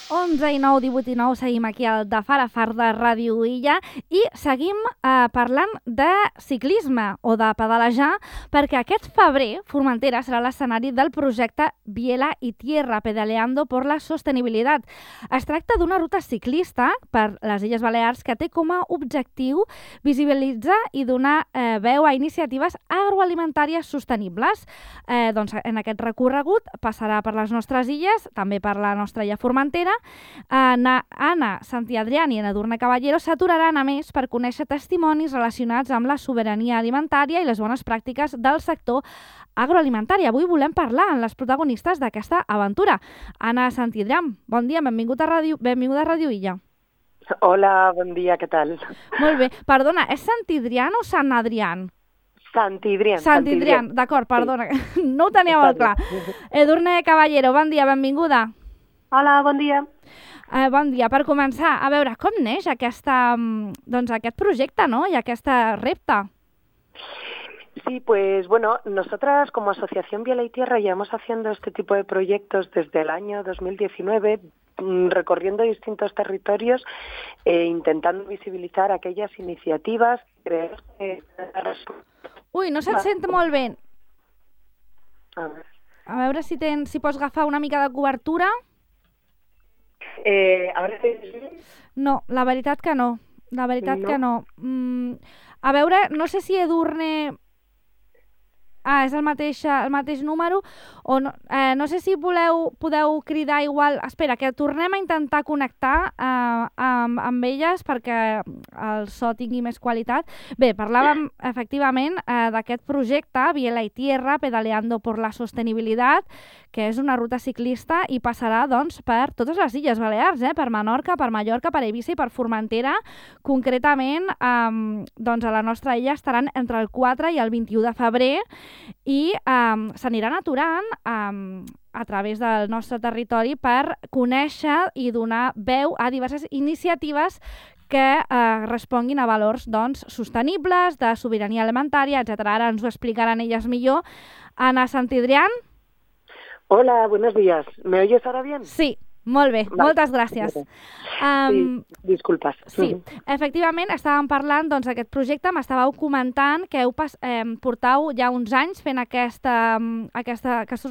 11 i 9, 18 i 9, seguim aquí al de Far a Far de Ràdio Illa i seguim parlant de ciclisme o de pedalejar perquè aquest febrer Formentera serà l'escenari del projecte Biela y Tierra, pedaleando por la sostenibilitat. Es tracta d'una ruta ciclista per les Illes Balears que té com a objectiu visibilitzar i donar veu a iniciatives agroalimentàries sostenibles. Doncs en aquest recorregut passarà per les nostres illes, també per la nostra illa Formentera. Anna Santiadrián i Edurne Caballero s'aturaran a més per conèixer testimonis relacionats amb la sobirania alimentària i les bones pràctiques del sector agroalimentari. Avui volem parlar amb les protagonistes d'aquesta aventura. Anna Santiadrián, bon dia, benvinguda a Ràdio Illa. Hola, bon dia, què tal? Molt bé, perdona, és Santidrián o Sant Adrián? Santidrián. Santidrián, d'acord, perdona, sí. No ho tenia molt clar. Edurne Caballero, bon dia, benvinguda. Hola, bon dia. Bon dia. Per començar, a veure, com neix aquest projecte, ¿no? Y aquest repte? Sí, pues bueno, nosotras como Asociación Biela y Tierra llevamos haciendo este tipo de proyectos desde el año 2019, recorriendo distintos territorios e intentando visibilizar aquellas iniciativas que creemos que... Ui, no se't sent molt bé. A veure si pots agafar una mica de cobertura. Ara no, la veritat que no. Que no. A veure, no sé si Edurne... és el mateix número, o no, no sé si podeu cridar igual... Espera, que tornem a intentar connectar amb elles perquè el so tingui més qualitat. Bé, parlàvem efectivament d'aquest projecte, Biela y Tierra, pedaleando por la sostenibilitat, que és una ruta ciclista i passarà doncs, per totes les Illes Balears, per Menorca, per Mallorca, per Eivissa i per Formentera. Concretament, doncs a la nostra illa estaran entre el 4 i el 21 de febrer i s'aniran aturant a través del nostre territori per conèixer i donar veu a diverses iniciatives que responguin a valors doncs, sostenibles, de sobirania alimentària, etc. Ara ens ho explicaran elles millor. Anna Santidrián. Hola, buenos días. ¿Me oyes ahora bien? Sí. Molt bé, vale. Moltes gràcies. Sí, disculpes. Sí, efectivament, estàvem parlant d'aquest projecte, m'estàveu comentant que portau ja uns anys fent aquests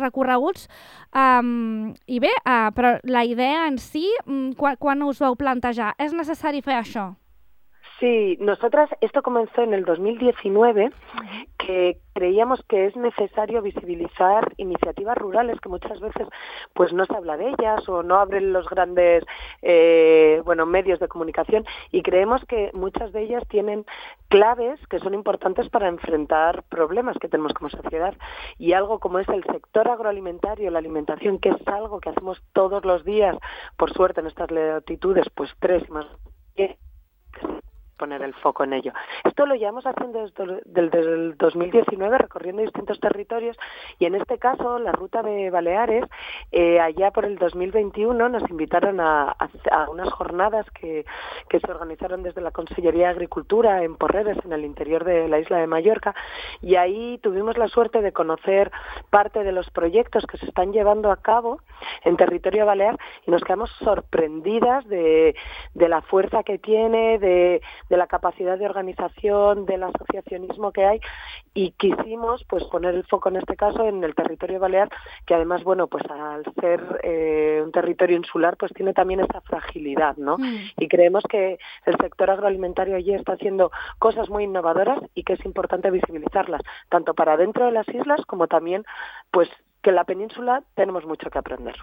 recorreguts i bé, però la idea en si, quan us vau plantejar? És necessari fer això? Sí, nosotras, esto comenzó en el 2019, que creíamos que es necesario visibilizar iniciativas rurales que muchas veces pues no se habla de ellas o no abren los grandes medios de comunicación, y creemos que muchas de ellas tienen claves que son importantes para enfrentar problemas que tenemos como sociedad, y algo como es el sector agroalimentario, la alimentación, que es algo que hacemos todos los días, por suerte en estas latitudes, pues 3 y más, poner el foco en ello. Esto lo llevamos haciendo desde el 2019, recorriendo distintos territorios, y en este caso la ruta de Baleares, allá por el 2021 nos invitaron a unas jornadas que se organizaron desde la Consellería de Agricultura en Porreres, en el interior de la isla de Mallorca, y ahí tuvimos la suerte de conocer parte de los proyectos que se están llevando a cabo en territorio balear, y nos quedamos sorprendidas de la fuerza que tiene, de la capacidad de organización, del asociacionismo que hay, y quisimos pues poner el foco en este caso en el territorio balear, que además, bueno, pues al ser un territorio insular, pues tiene también esa fragilidad, ¿no? Y creemos que el sector agroalimentario allí está haciendo cosas muy innovadoras y que es importante visibilizarlas, tanto para dentro de las islas como también, pues, que en la península tenemos mucho que aprender.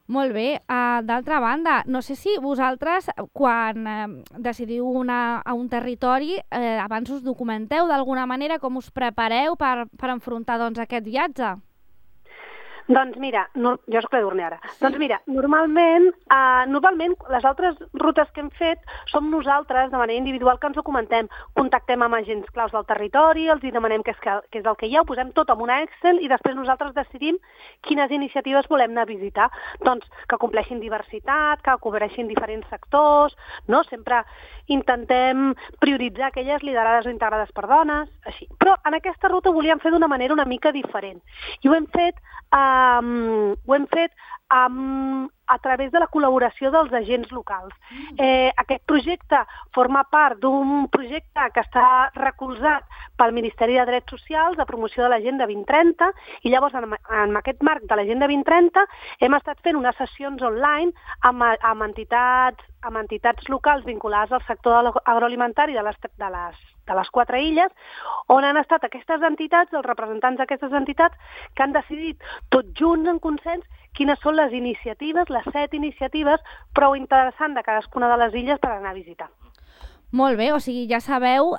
Molt bé. D'altra banda, no sé si vosaltres, quan decidiu anar a un territori, abans us documenteu d'alguna manera, com us prepareu per enfrontar aquest viatge? Doncs mira, jo soc l'Edurne ara. Sí. Doncs mira, normalment les altres rutes que hem fet som nosaltres, de manera individual, que ens documentem. Contactem amb agents claus del territori, els hi demanem què és el que hi ha, ho posem tot en una Excel i després nosaltres decidim quines iniciatives volem anar a visitar. Doncs que compleixin diversitat, que cobreixin diferents sectors, no? Sempre intentem prioritzar aquelles liderades o integrades per dones, així. Però en aquesta ruta ho volíem fer d'una manera una mica diferent. I ho hem fet amb a través de la col·laboració dels agents locals. Aquest projecte forma part d'un projecte que està recolzat pel Ministeri de Drets Socials de promoció de l'Agenda 2030 i llavors en aquest marc de l'Agenda 2030 hem estat fent unes sessions online amb entitats locals vinculades al sector agroalimentari de les 4 illes, on han estat aquestes entitats, els representants d'aquestes entitats, que han decidit tots junts en consens quines són les iniciatives, les 7 iniciatives prou interessants de cadascuna de les illes per anar a visitar. Molt bé, o sigui, ja sabeu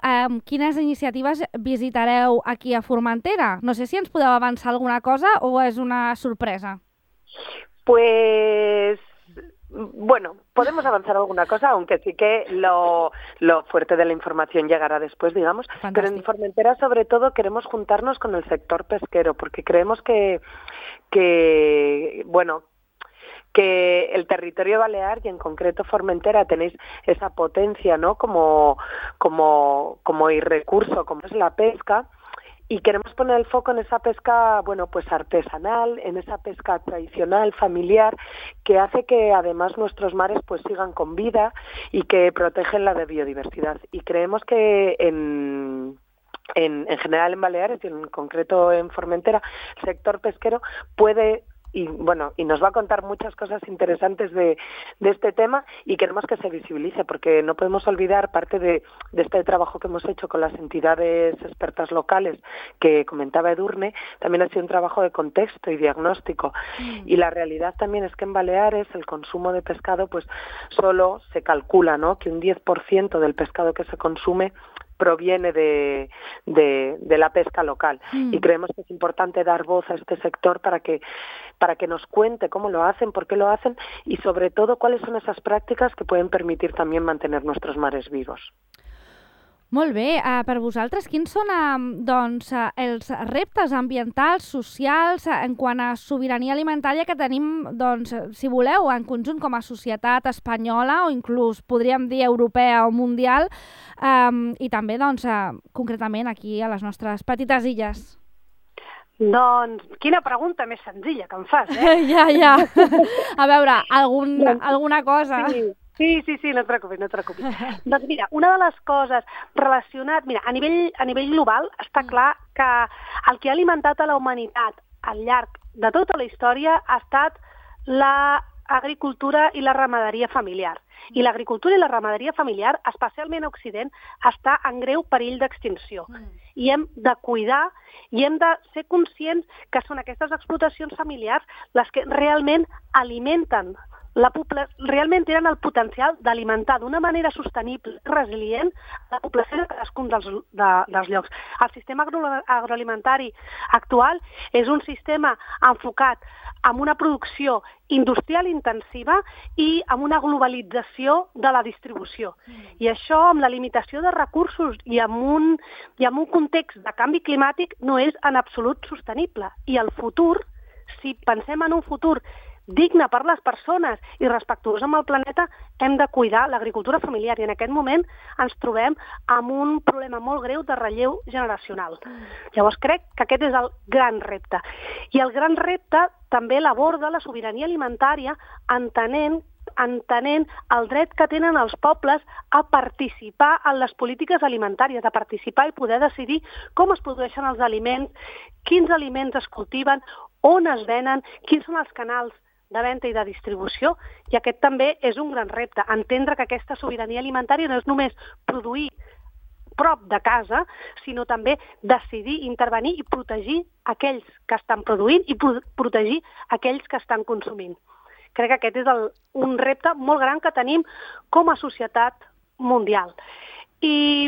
quines iniciatives visitareu aquí a Formentera. No sé si ens podeu avançar alguna cosa o és una sorpresa. Pues... Bueno, podemos avanzar alguna cosa, aunque sí que lo fuerte de la información llegará después, digamos. Fantástico. Pero en Formentera, sobre todo, queremos juntarnos con el sector pesquero, porque creemos que el territorio balear y en concreto Formentera tenéis esa potencia, ¿no? Como recurso, como es la pesca. Y queremos poner el foco en esa pesca, bueno, pues artesanal, en esa pesca tradicional, familiar, que hace que además nuestros mares pues sigan con vida y que protegen la biodiversidad. Y creemos que en general en Baleares y en concreto en Formentera, el sector pesquero puede... Y nos va a contar muchas cosas interesantes de este tema y queremos que se visibilice porque no podemos olvidar parte de este trabajo que hemos hecho con las entidades expertas locales que comentaba Edurne, también ha sido un trabajo de contexto y diagnóstico y la realidad también es que en Baleares el consumo de pescado pues solo se calcula, ¿no? Que un 10% del pescado que se consume proviene de la pesca local y creemos que es importante dar voz a este sector para que nos cuente cómo lo hacen, por qué lo hacen y sobre todo cuáles son esas prácticas que pueden permitir también mantener nuestros mares vivos. Molt bé, per vosaltres, quins són els reptes ambientals, socials, en quant a sobirania alimentària que tenim, si voleu, en conjunt com a societat espanyola o inclús podríem dir europea o mundial i també, concretament aquí a les nostres petites illes? Doncs, quina pregunta més senzilla que em fas, Ja. A veure, alguna cosa... Sí, no et preocupis. Doncs mira, una de les coses relacionat... Mira, a nivell global està clar que el que ha alimentat a la humanitat al llarg de tota la història ha estat l'agricultura i la ramaderia familiar. I l'agricultura i la ramaderia familiar, especialment a Occident, està en greu perill d'extinció. I hem de cuidar i hem de ser conscients que són aquestes explotacions familiars les que realment alimenten realment tenen el potencial d'alimentar d'una manera sostenible i resilient la població de cadascun dels llocs. El sistema agroalimentari actual és un sistema enfocat en una producció industrial intensiva i amb una globalització de la distribució. I això, amb la limitació de recursos i amb un context de canvi climàtic, no és en absolut sostenible. I el futur, si pensem en un futur digne per les persones i respectuós amb el planeta, hem de cuidar l'agricultura familiar i en aquest moment ens trobem amb un problema molt greu de relleu generacional. Llavors crec que aquest és el gran repte. I el gran repte també l'aborda la sobirania alimentària entenent el dret que tenen els pobles a participar en les polítiques alimentàries, a participar i poder decidir com es produeixen els aliments, quins aliments es cultiven, on es venen, quins són els canals de venda i de distribució, i aquest també és un gran repte, entendre que aquesta sobirania alimentària no és només produir prop de casa, sinó també decidir, intervenir i protegir aquells que estan produint i protegir aquells que estan consumint. Crec que aquest és un repte molt gran que tenim com a societat mundial. I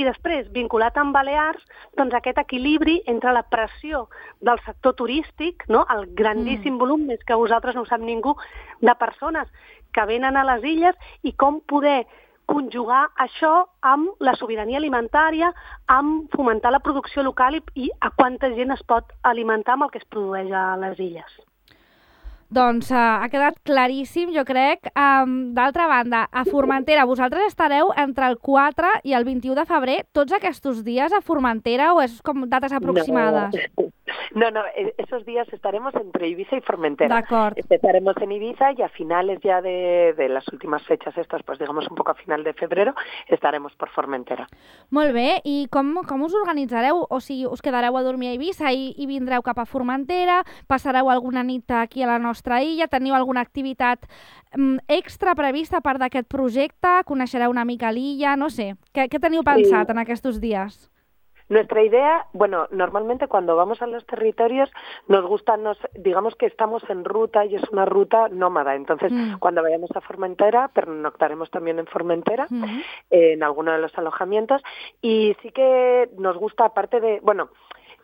després, vinculat amb Balears, doncs aquest equilibri entre la pressió del sector turístic, no? El grandíssim volum, més que vosaltres no ho sap ningú, de persones que venen a les illes i com poder conjugar això amb la sobirania alimentària, amb fomentar la producció local i a quanta gent es pot alimentar amb el que es produeix a les illes. Doncs ha quedat claríssim, jo crec. D'altra banda, a Formentera, vosaltres estareu entre el 4 i el 21 de febrer tots aquests dies a Formentera o és com dates aproximades? No, esos días estaremos entre Ibiza y Formentera. D'acord. Empezaremos en Ibiza y a finales ya de las últimas fechas estas, pues digamos un poco a final de febrero, estaremos por Formentera. Molt bé, i com us organitzareu? O sigui, us quedareu a dormir a Ibiza i vindreu cap a Formentera? Passareu alguna nit aquí a la nostra illa? Teniu alguna activitat extra prevista a part d'aquest projecte? Coneixereu una mica l'illa? No sé. Què teniu pensat en aquests dies? Nuestra idea, bueno, normalmente cuando vamos a los territorios nos gusta, digamos que estamos en ruta y es una ruta nómada. Entonces, cuando vayamos a Formentera, pernoctaremos también en Formentera, en alguno de los alojamientos. Y sí que nos gusta, aparte de, bueno,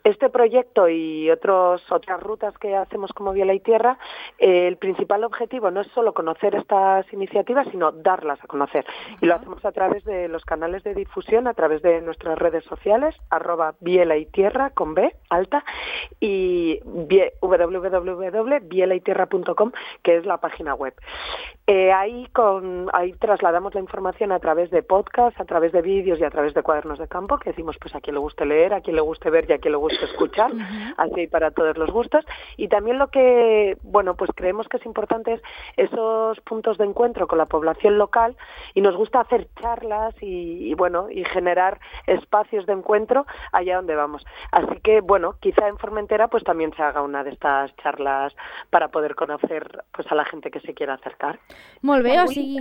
este proyecto y otras rutas que hacemos como Biela y Tierra, el principal objetivo no es solo conocer estas iniciativas, sino darlas a conocer. Y lo hacemos a través de los canales de difusión, a través de nuestras redes sociales, @Biela y Tierra, con B, alta, y www.bielaytierra.com, que es la página web. Ahí trasladamos la información a través de podcast, a través de vídeos y a través de cuadernos de campo, que decimos pues a quien le guste leer, a quien le guste ver y a quien le guste escuchar, así para todos los gustos. Y también lo que, bueno, pues creemos que es importante es esos puntos de encuentro con la población local, y nos gusta hacer charlas y generar espacios de encuentro allá donde vamos. Así que, bueno, quizá en Formentera pues también se haga una de estas charlas para poder conocer pues a la gente que se quiera acercar. Molt bé, o sigui...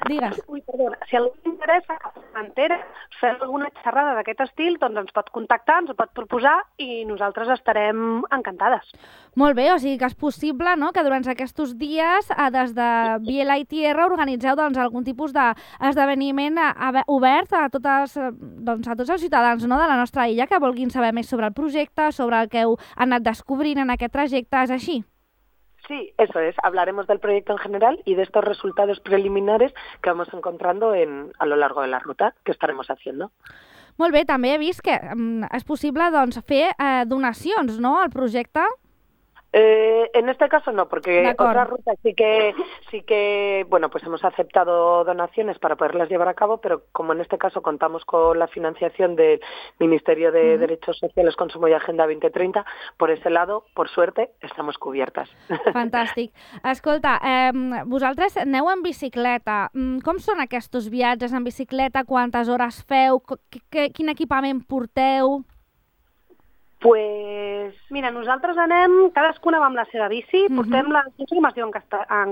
Digues. Ui, perdona. Si a algú interessa que a Formentera fem alguna xerrada d'aquest estil, doncs ens pot contactar, ens ho pot proposar i nosaltres estarem encantades. Molt bé, o sigui que és possible, no?, que durant aquests dies des de Biela i Tierra organitzeu doncs, algun tipus d'esdeveniment obert a tots els ciutadans, no?, de la nostra illa que vulguin saber més sobre el projecte, sobre el que heu anat descobrint en aquest trajecte, és així? Sí, eso es. Hablaremos del proyecto en general y de estos resultados preliminares que vamos encontrando a lo largo de la ruta que estaremos haciendo. Molt bé, també he vist que és possible doncs, fer donacions, no?, al projecte. En este caso no, porque otras rutas sí que, bueno, pues hemos aceptado donaciones para poderlas llevar a cabo, pero como en este caso contamos con la financiación del Ministerio de Derechos Sociales, Consumo y Agenda 2030, por ese lado, por suerte, estamos cubiertas. Fantàstic. Escolta, vosaltres aneu en bicicleta. Com són aquests viatges en bicicleta? Quantes hores feu? Quin equipament porteu? Pues, mira, nosaltres anem, cadascuna va amb la seva bici, portem no sé com es diu en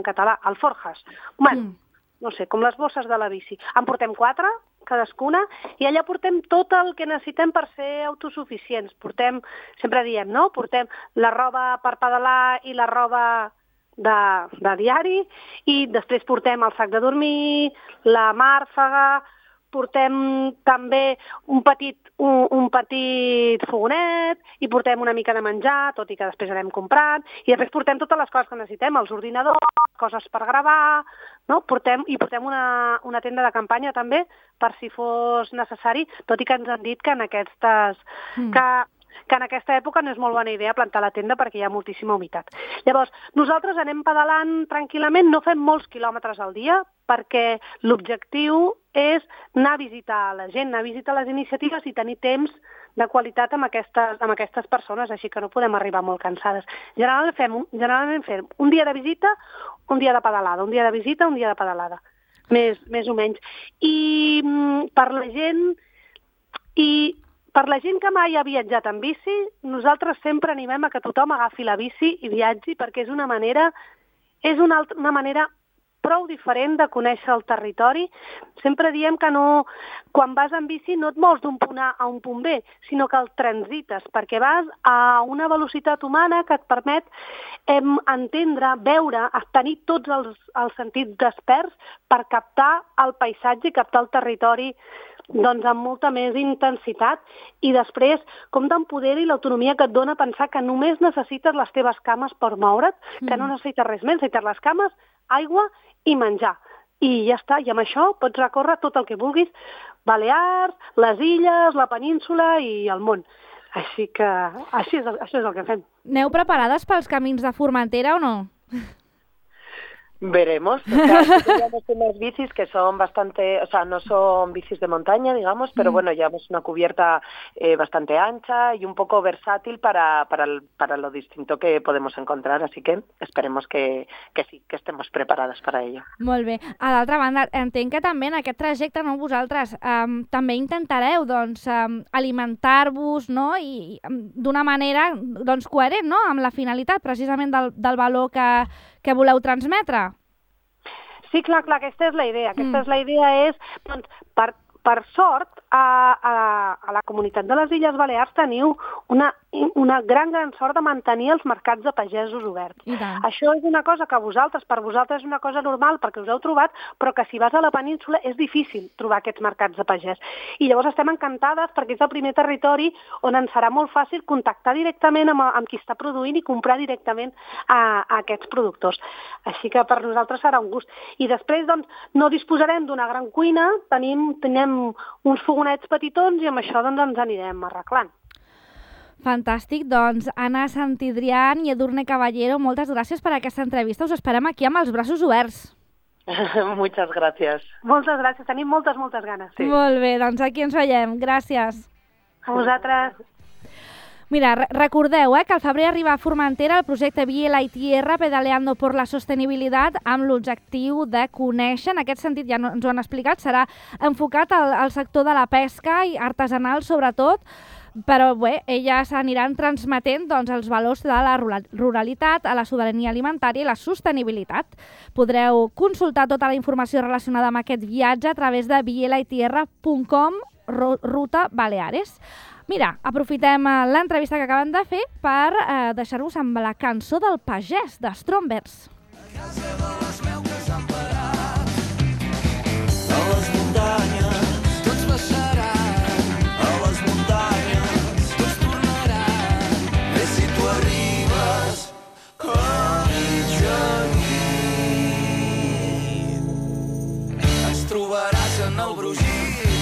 català, alforjas. Bueno, no sé, com les bosses de la bici. En portem 4, cadascuna, i allà portem tot el que necessitem per ser autosuficients. Portem, sempre diem, no?, portem la roba per pedalar i la roba de diari, i després portem el sac de dormir, la màrfega, portem també un petit fogonet i portem una mica de menjar, tot i que després anem comprant, i després portem totes les coses que necessitem, els ordinadors, coses per gravar, no? Portem una tenda de campanya també, per si fos necessari, tot i que ens han dit que en aquesta època no és molt bona idea plantar la tenda perquè hi ha moltíssima humitat. Llavors, nosaltres anem pedalant tranquil·lament, no fem molts quilòmetres al dia, perquè l'objectiu és anar a visitar la gent, anar a visitar les iniciatives i tenir temps de qualitat amb aquestes persones, així que no podem arribar molt cansades. Generalment fem un dia de visita, un dia de pedalada, un dia de visita, un dia de pedalada, més o menys. I per la gent que mai ha viatjat en bici, nosaltres sempre animem a que tothom agafi la bici i viatgi, perquè és una manera prou diferent de conèixer el territori. Sempre diem que quan vas en bici no et mous d'un punt A a un punt B, sinó que el transites, perquè vas a una velocitat humana que et permet entendre, veure, tenir tots els sentits desperts per captar el paisatge i captar el territori doncs amb molta més intensitat, i després com t'empodera i l'autonomia que et dona pensar que només necessites les teves cames per moure't, que no necessites res més, necessites les cames, aigua i menjar. I ja està, i amb això pots recórrer tot el que vulguis, Balears, les illes, la península i el món. Així que això és el que fem. Aneu preparades pels camins de Formentera o no? Veremos. O sea, llevamos unas bicis que son bastante, o sea, no son bicis de montaña, digamos, pero bueno, llevamos una cubierta bastante ancha y un poco versátil para lo distinto que podemos encontrar, así que esperemos que sí, que estemos preparadas para ello. Molt bé. A l'altra banda, entenc que també en aquest trajecte, no, vosaltres també intentareu doncs, alimentar-vos, no? I d'una manera doncs, coherent, no? Amb la finalitat precisament del valor que voleu transmetre. Sí, clar, aquesta és la idea. Aquesta és la idea és, doncs, per sort, a la comunitat de les Illes Balears teniu una gran sort de mantenir els mercats de pagesos oberts. Això és una cosa que per vosaltres és una cosa normal perquè us heu trobat, però que si vas a la península és difícil trobar aquests mercats de pagès. I llavors estem encantades perquè és el primer territori on ens serà molt fàcil contactar directament amb qui està produint i comprar directament a aquests productors. Així que per nosaltres serà un gust. I després, doncs, no disposarem d'una gran cuina, tenim uns fogonets petitons i amb això doncs, ens anirem arreglant. Fantàstic, doncs Anna Santidrián i Edurne Caballero, moltes gràcies per aquesta entrevista. Us esperem aquí amb els braços oberts. Muchas gracias. Moltes gràcies, tenim moltes ganes. Sí. Molt bé, doncs aquí ens veiem. Gràcies. A vosaltres. Mira, recordeu que al febrer arriba a Formentera el projecte Biela y Tierra Pedaleando por la Sostenibilitat amb l'objectiu de conèixer. En aquest sentit, ja ens ho han explicat, serà enfocat al sector de la pesca i artesanal sobretot, però bé, elles aniran transmetent doncs, els valors de la ruralitat, a la sobirania alimentària i la sostenibilitat. Podreu consultar tota la informació relacionada amb aquest viatge a través de bielaitierra.com Ruta Baleares. Mira, aprofitem l'entrevista que acaben de fer per deixar-vos amb la cançó del pagès, de Strombers. A casa de les meuques han parat, a les muntanyes tots baixaran, a les muntanyes tots tornaran, i si tu arribes a mitjanit ens trobaràs en el brogit.